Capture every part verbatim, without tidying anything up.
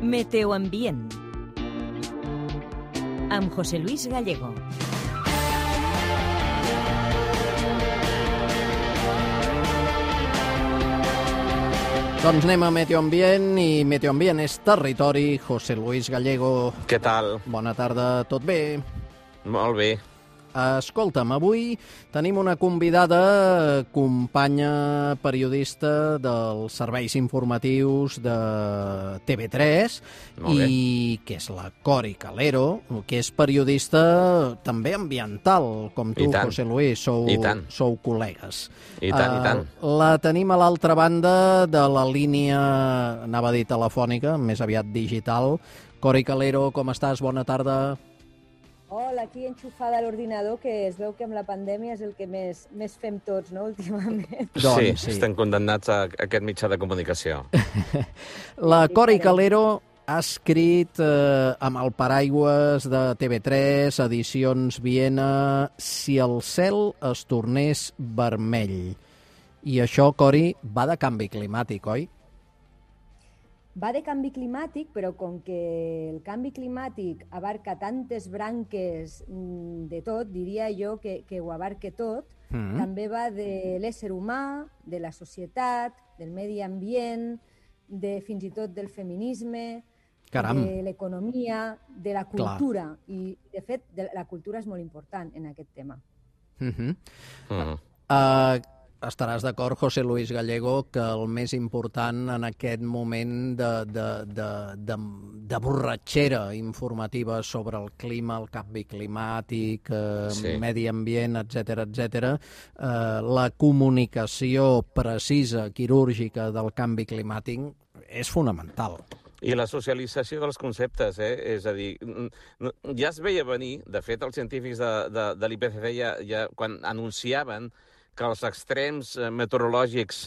Meteoambient amb José Luis Gallego. Doncs anem a Meteoambient, i Meteoambient és territori. José Luis Gallego. Què tal? Bona tarda, tot bé? Molt bé. Escolta'm, avui tenim una convidada, companya periodista dels serveis informatius de T V tres, i que és la Cori Calero, que és periodista també ambiental, com tu, José Luis, sou, sou col·legues. I tant, uh, i tant. La tenim a l'altra banda de la línia, anava a dir telefònica, més aviat digital. Cori Calero, com estàs? Bona tarda. Hola, aquí enxufada a l'ordinador, que es veu que amb la pandèmia és el que més, més fem tots, no?, últimament. Sí, doncs, sí, estem condemnats a aquest mitjà de comunicació. La Cori Calero ha escrit eh, amb el paraigües de T V tres, Edicions Viena, Si el cel es tornés vermell. I això, Cori, va de canvi climàtic, oi? Va de canvi climàtic, però com que el canvi climàtic abarca tantes branques de tot, diria jo que, que ho abarca tot, mm. també va de l'ésser humà, de la societat, del medi ambient, de, fins i tot del feminisme, Caram. de l'economia, de la cultura. Clar. I, de fet, de, la cultura és molt important en aquest tema. Mm-hmm. Mm. Uh, Estaràs d'acord, José Luis Gallego, que el més important en aquest moment de, de, de, de, de borratxera informativa sobre el clima, el canvi climàtic, eh, sí. medi ambient, etcètera, etcètera, eh, la comunicació precisa, quirúrgica del canvi climàtic és fonamental. I la socialització dels conceptes, eh? És a dir, ja es veia venir, de fet, els científics de, de, de l'I P C C ja, ja quan anunciaven que els extrems meteorològics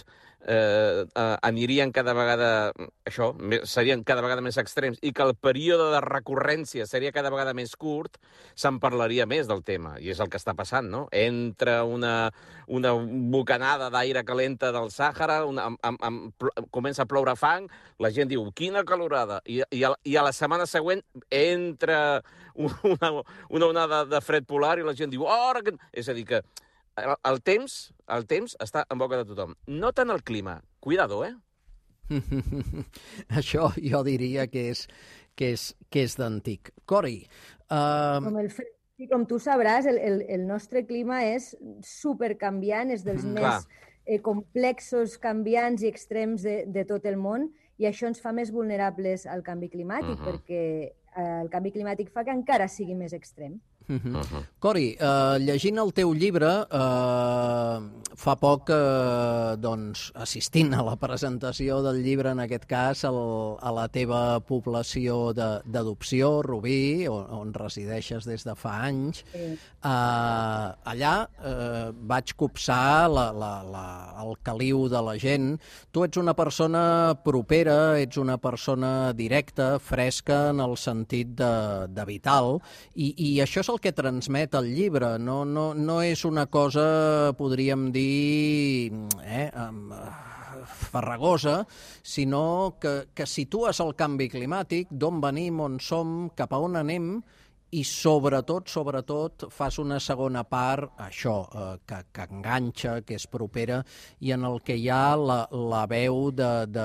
eh, eh, anirien cada vegada, això, serien cada vegada més extrems, i que el període de recurrència seria cada vegada més curt, se'n parlaria més del tema. I és el que està passant, no? Entra una, una bocanada d'aire calenta del Sàhara, una, amb, amb, amb, comença a ploure fang, la gent diu, quina calorada, i, i, a, i a la setmana següent entra una, una onada de fred polar i la gent diu, oh, que... és a dir, que El, el temps el temps està en boca de tothom. No tant el clima. Cuidado, eh? Això jo diria que és, que és, que és d'antic. Cori... Uh... Com, el, com tu sabràs, el, el, el nostre clima és supercanviant, és dels mm, més eh, complexos, canviants i extrems de, de tot el món, i això ens fa més vulnerables al canvi climàtic, uh-huh. perquè eh, el canvi climàtic fa que encara sigui més extrem. Uh-huh. Uh-huh. Cori, eh, llegint el teu llibre, eh, fa poc, eh, doncs, assistint a la presentació del llibre, en aquest cas, el, a la teva població d'adopció, Rubí, on, on resideixes des de fa anys, sí. eh, allà eh, vaig copsar la, la, la, el caliu de la gent. Tu ets una persona propera, ets una persona directa, fresca, en el sentit de, de vital, i, i això és el que transmet el llibre. No, no, no és una cosa, podríem dir, eh, farragosa, sinó que, que situes el canvi climàtic, d'on venim, on som, cap a on anem, i sobretot, sobretot, fas una segona part, això, eh, que, que enganxa, que és propera, i en el que hi ha la, la veu de, de,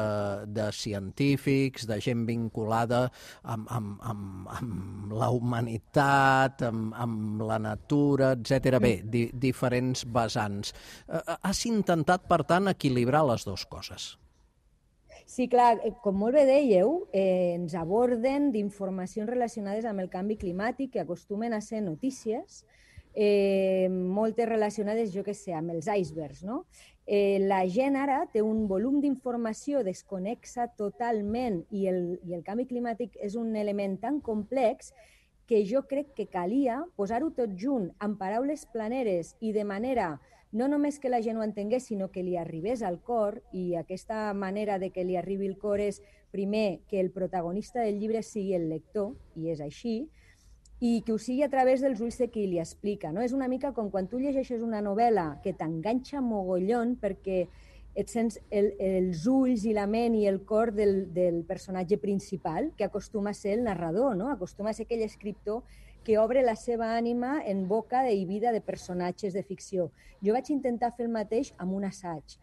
de científics, de gent vinculada amb, amb, amb, amb la humanitat, amb, amb la natura, etcètera. Bé, di, diferents vessants. Eh, has intentat, per tant, equilibrar les dues coses. Sí, clar, com molt bé dèieu, eh, ens aborden d'informacions relacionades amb el canvi climàtic que acostumen a ser notícies, eh, moltes relacionades, jo què sé, amb els icebergs, no? Eh, la gent ara té un volum d'informació desconexa totalment i el, i el canvi climàtic és un element tan complex que jo crec que calia posar-ho tot junt amb paraules planeres i de manera no només que la gent ho entengués, sinó que li arribés al cor, i aquesta manera de que li arribi al cor és, primer, que el protagonista del llibre sigui el lector, i és així, i que ho sigui a través dels ulls de qui li explica, no? És una mica com quan tu llegeixes una novel·la que t'enganxa mogollon perquè et sents el, els ulls i la ment i el cor del, del personatge principal, que acostuma a ser el narrador, no? Acostuma a ser aquell escriptor que obre la seva ànima en boca i vida de personatges de ficció. Jo vaig intentar fer el mateix amb un assaig.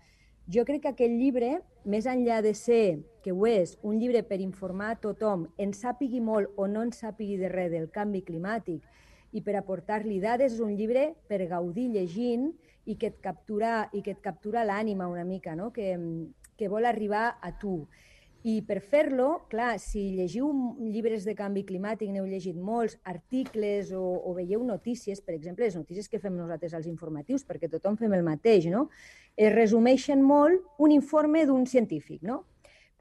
Jo crec que aquest llibre, més enllà de ser, que ho és, un llibre per informar a tothom, en sàpigui molt o no en sàpigui de res del canvi climàtic, i per aportar-li dades, és un llibre per gaudir llegint i que et captura, i que et captura l'ànima una mica, no? que, que vol arribar a tu. I per fer-lo, clar, si llegiu llibres de canvi climàtic, n'heu llegit molts, articles o, o veieu notícies, per exemple, les notícies que fem nosaltres als informatius, perquè tothom fem el mateix, no? Es resumeixen molt un informe d'un científic, no?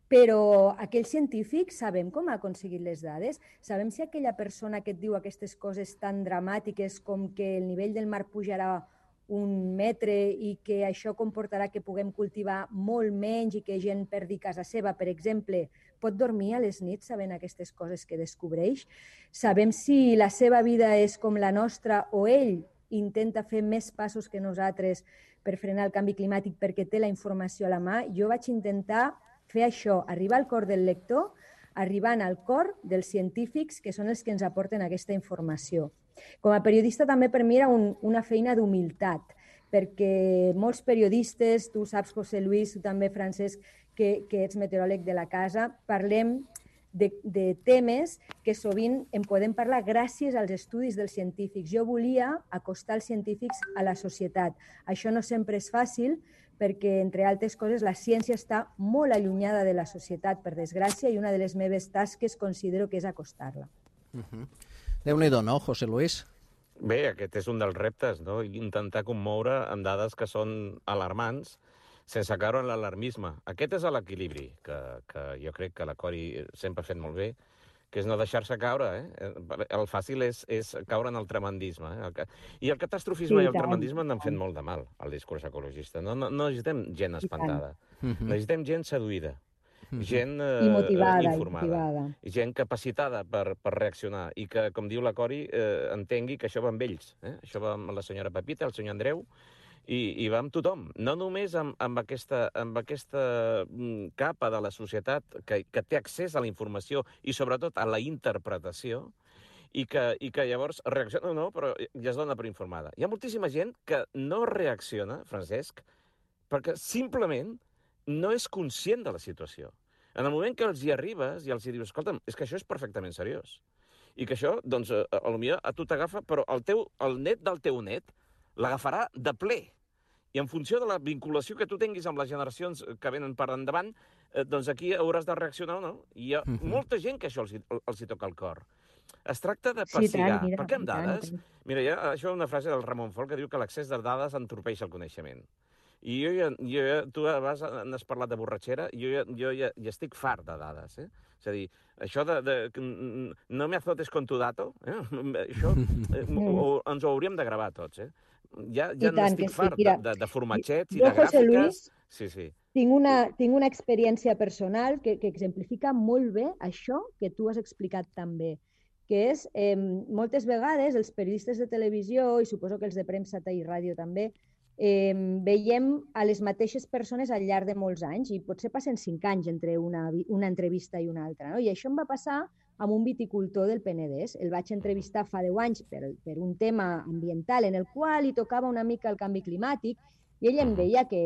Però aquell científic sabem com ha aconseguit les dades? Sabem si aquella persona que et diu aquestes coses tan dramàtiques com que el nivell del mar pujarà un metre i que això comportarà que puguem cultivar molt menys i que gent perdi casa seva, per exemple, pot dormir a les nits sabent aquestes coses que descobreix? Sabem si la seva vida és com la nostra o ell intenta fer més passos que nosaltres per frenar el canvi climàtic perquè té la informació a la mà? Jo vaig intentar fer això, arribar al cor del lector, arribant al cor dels científics que són els que ens aporten aquesta informació. Com a periodista també per mi era un, una feina d'humilitat, perquè molts periodistes, tu saps, José Luis, tu també, Francesc, que, que ets meteoròleg de la casa, parlem de, de temes que sovint en podem parlar gràcies als estudis dels científics. Jo volia acostar els científics a la societat. Això no sempre és fàcil, perquè, entre altres coses, la ciència està molt allunyada de la societat, per desgràcia, i una de les meves tasques considero que és acostar-la. Uh-huh. Déu-n'hi-do, no, José Luis? Bé, aquest és un dels reptes, no? Intentar commoure amb dades que són alarmants sense caure en l'alarmisme. Aquest és l'equilibri que, que jo crec que la Cori sempre ha fet molt bé, que és no deixar-se caure. Eh? El fàcil és, és caure en el tremendisme. Eh? I el catastrofisme sí, i el tremendisme n'han fet molt de mal al discurs ecologista. No, no, no necessitem gent espantada, necessitem gent seduïda. Gent eh, motivada, informada, motivada. I gent capacitada per, per reaccionar i que, com diu la Cori, eh, entengui que això va amb ells. Eh? Això va amb la senyora Pepita, el senyor Andreu, i, i va amb tothom. No només amb, amb, aquesta, amb aquesta capa de la societat que, que té accés a la informació i, sobretot, a la interpretació, i que, i que llavors reacciona, no, però ja es dona per informada. Hi ha moltíssima gent que no reacciona, Francesc, perquè simplement no és conscient de la situació. En el moment que els hi arribes i els hi dius, escolta'm, és que això és perfectament seriós. I que això, doncs, a, a, potser a tu t'agafa, però el, teu, el net del teu net l'agafarà de ple. I en funció de la vinculació que tu tinguis amb les generacions que venen per endavant, eh, doncs aquí hauràs de reaccionar o no. I hi ha uh-huh. molta gent que això els, els hi toca el cor. Es tracta de passigar. Sí, perquè amb dades... Mira, hi ha, això és una frase del Ramon Folch que diu que l'accés de dades entorpeix el coneixement. I jo ja, jo ja, tu abans n'has parlat de borratxera, jo ja, jo ja, ja estic fart de dades, eh? És a dir, això de... de no me azotes con tu dato, eh? Això eh, o, ens ho hauríem de gravar tots, eh? Ja, ja n'estic sí. fart de, de, de formatgets i jo, de gràfiques. Luis, sí, sí. Tinc una, tinc una experiència personal que, que exemplifica molt bé això que tu has explicat també, que és, eh, moltes vegades, els periodistes de televisió, i suposo que els de premsa i ràdio també, Eh, veiem a les mateixes persones al llarg de molts anys i potser passen cinc anys entre una, una entrevista i una altra. No? I això em va passar amb un viticultor del Penedès. El vaig entrevistar fa deu anys per, per un tema ambiental en el qual hi tocava una mica el canvi climàtic i ell em deia que,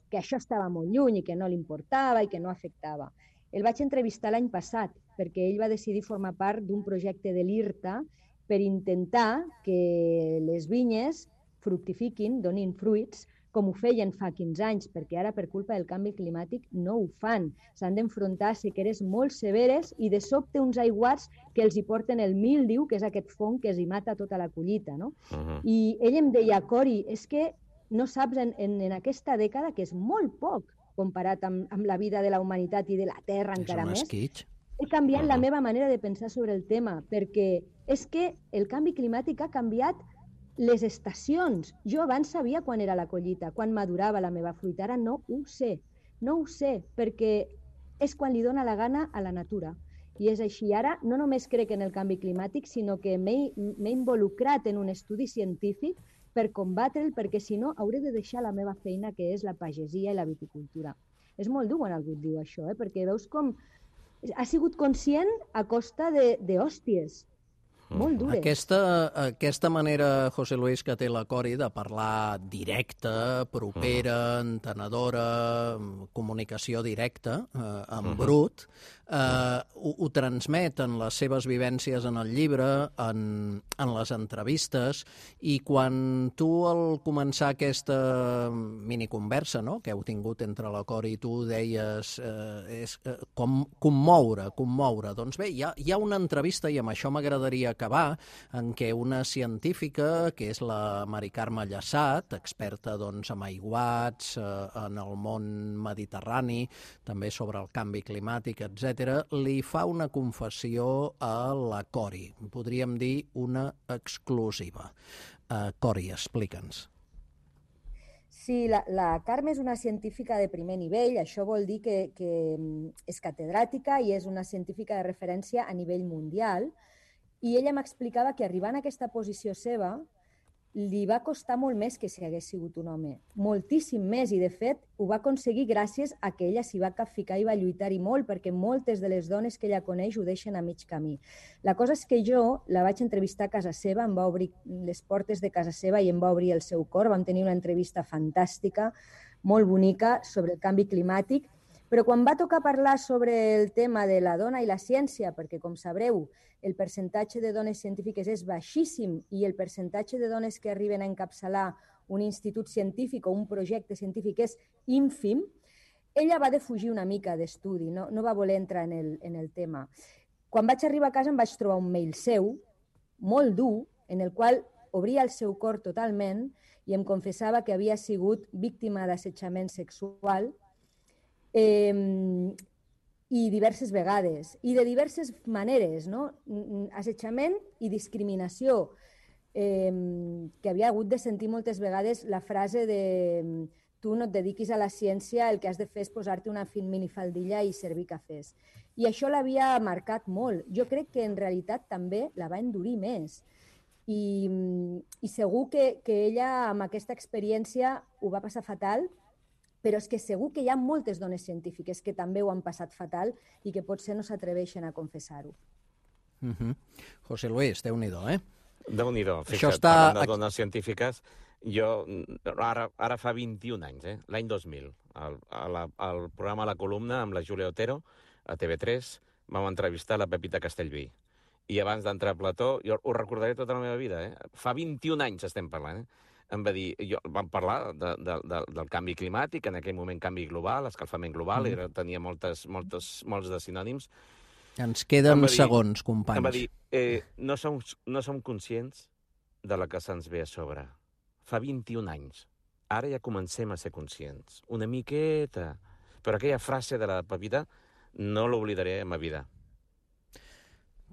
que això estava molt lluny i que no li importava i que no afectava. El vaig entrevistar l'any passat perquè ell va decidir formar part d'un projecte de l'IRTA per intentar que les vinyes fructifiquin, donin fruits, com ho feien fa quinze anys, perquè ara, per culpa del canvi climàtic, no ho fan. S'han d'enfrontar a sequeres molt severes i, de sobte, uns aiguats que els hi porten el míldiu, que és aquest fong que els hi mata tota la collita. No? Uh-huh. I ell em deia, Cori, és que no saps, en, en, en aquesta dècada, que és molt poc comparat amb, amb la vida de la humanitat i de la Terra encara més, he canviat uh-huh. la meva manera de pensar sobre el tema, perquè és que el canvi climàtic ha canviat les estacions. Jo abans sabia quan era la collita, quan madurava la meva fruita. Ara no ho sé. No ho sé, perquè és quan li dóna la gana a la natura. I és així. Ara no només crec en el canvi climàtic, sinó que m'he involucrat en un estudi científic per combatre'l, perquè si no hauré de deixar la meva feina, que és la pagesia i la viticultura. És molt dur quan algú et diu això, eh? Perquè veus com ha sigut conscient a costa d'hòsties. Molt dures. Aquesta, aquesta manera, José Luis, que té la Cori de parlar directa, propera, entenedora, comunicació directa, eh, en uh-huh. brut, eh, ho, ho transmet en les seves vivències en el llibre, en, en les entrevistes, i quan tu al començar aquesta miniconversa, no?, que heu tingut entre la Cori i tu, deies eh, és, eh, com, commoure, commoure. Doncs bé, hi ha, hi ha una entrevista, i amb això m'agradaria acabar, en què una científica, que és la Mari Carme Llassat, experta doncs, en aiguats, eh, en el món mediterrani, també sobre el canvi climàtic, etcètera, li fa una confessió a la Cori. Podríem dir una exclusiva. Uh, Cori, explica'ns. Sí, la, la Carme és una científica de primer nivell, això vol dir que, que és catedràtica i és una científica de referència a nivell mundial, i ella m'explicava que arribant a aquesta posició seva li va costar molt més que si hagués sigut un home, moltíssim més, i de fet ho va aconseguir gràcies a que ella s'hi va capficar i va lluitar-hi molt, perquè moltes de les dones que ella coneix ho deixen a mig camí. La cosa és que jo la vaig entrevistar a casa seva, em va obrir les portes de casa seva i em va obrir el seu cor, vam tenir una entrevista fantàstica, molt bonica, sobre el canvi climàtic, però quan va tocar parlar sobre el tema de la dona i la ciència, perquè, com sabreu, el percentatge de dones científiques és baixíssim i el percentatge de dones que arriben a encapçalar un institut científic o un projecte científic és ínfim, ella va defugir una mica d'estudi, no, no va voler entrar en el, en el tema. Quan vaig arribar a casa em vaig trobar un mail seu, molt dur, en el qual obria el seu cor totalment i em confessava que havia sigut víctima d'assetjament sexual, Eh, i diverses vegades, i de diverses maneres, no? Assetjament i discriminació, eh, que havia hagut de sentir moltes vegades la frase de tu no et dediquis a la ciència, el que has de fer és posar-te una minifaldilla i servir cafès. I això l'havia marcat molt. Jo crec que en realitat també la va endurir més. I, i segur que, que ella amb aquesta experiència ho va passar fatal, però és que segur que hi ha moltes dones científiques que també ho han passat fatal i que potser no s'atreveixen a confessar-ho. Uh-huh. José Luis, Déu-n'hi-do, eh? Déu-n'hi-do. Fixa't, Això està... parlant de dones científiques, jo ara, ara fa vint-i-un anys, eh? L'any dos mil, al, al programa La Columna amb la Júlia Otero, a T V tres, vam entrevistar la Pepita Castellví. I abans d'entrar a plató, jo ho recordaré tota la meva vida, eh? Fa vint-i-un anys estem parlant, eh? Em va dir, jo, vam parlar de, de, de, del canvi climàtic, en aquell moment canvi global, escalfament global, mm. era, tenia moltes, moltes, molts de sinònims. Ens queden dir, segons, companys. Em va dir, eh, no, som, no som conscients de la que se'ns ve a sobre. Fa vint-i-un anys. Ara ja comencem a ser conscients. Una miqueta. Però aquella frase de la Pepita no l'oblidaré a ma vida.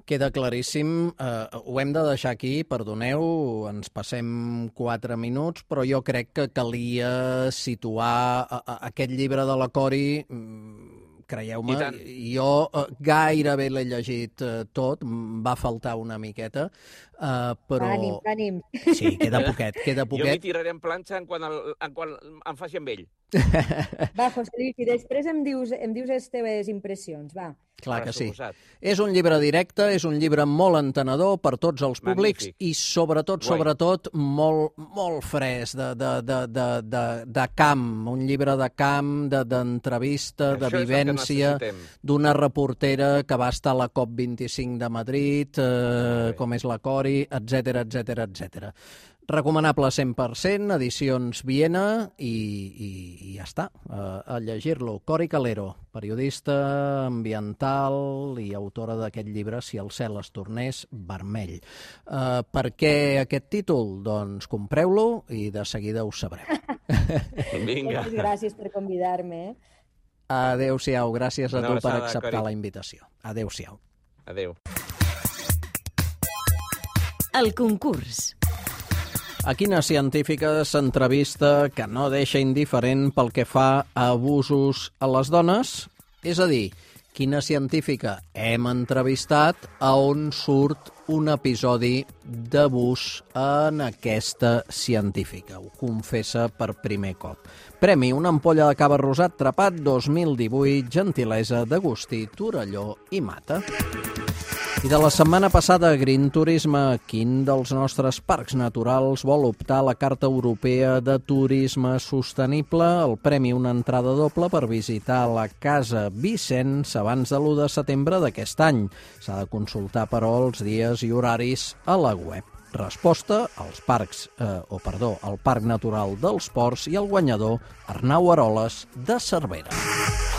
Queda claríssim, eh, ho hem de deixar aquí, perdoneu, ens passem quatre minuts, però jo crec que calia situar a, a, aquest llibre de la Cori, creieu-me, jo eh, gairebé l'he llegit eh, tot, va faltar una miqueta, eh, però... Ànim, ànim. Sí, queda poquet, queda poquet. Jo m'hi tiraré en planxa en quan, el, en quan em faci amb ell. Va, José Luis, i després em dius, em dius les teves impressions, va. Clar que sí. És un llibre directe, és un llibre molt entenedor per tots els públics. Magnífic. I sobretot, sobretot, molt, molt fresc, de, de, de, de, de, de camp, un llibre de camp, d'entrevista, de, de vivència, d'una reportera que va estar a la COP vint-i-cinc de Madrid, eh, com és la Cori, etcètera, etcètera, etcètera. Recomanable cent per cent, edicions Viena, i, i, i ja està, a, a llegir-lo. Cori Calero, periodista ambiental i autora d'aquest llibre Si el cel es tornés vermell. Uh, per què aquest títol? Doncs compreu-lo i de seguida ho sabreu. Vinga. Moltes gràcies per convidar-me. Eh? Adéu-siau, gràcies a tu per acceptar la invitació. Adéu-siau. Adéu. El concurs. A quina científica s'entrevista que no deixa indiferent pel que fa a abusos a les dones? És a dir, quina científica hem entrevistat, a on surt un episodi d'abús en aquesta científica. Ho confessa per primer cop. Premi una ampolla de cava rosat Trapat dos mil divuit, gentilesa d'Agustí Torelló i Mata. I de la setmana passada, Green Turisme, quin dels nostres parcs naturals vol optar a la Carta Europea de Turisme Sostenible? El premi, una entrada doble per visitar la Casa Vicenç abans de l'u de setembre d'aquest any. S'ha de consultar, però, els dies i horaris a la web. Resposta als parcs, eh, o perdó, al Parc Natural dels Ports i el guanyador Arnau Aroles de Cervera.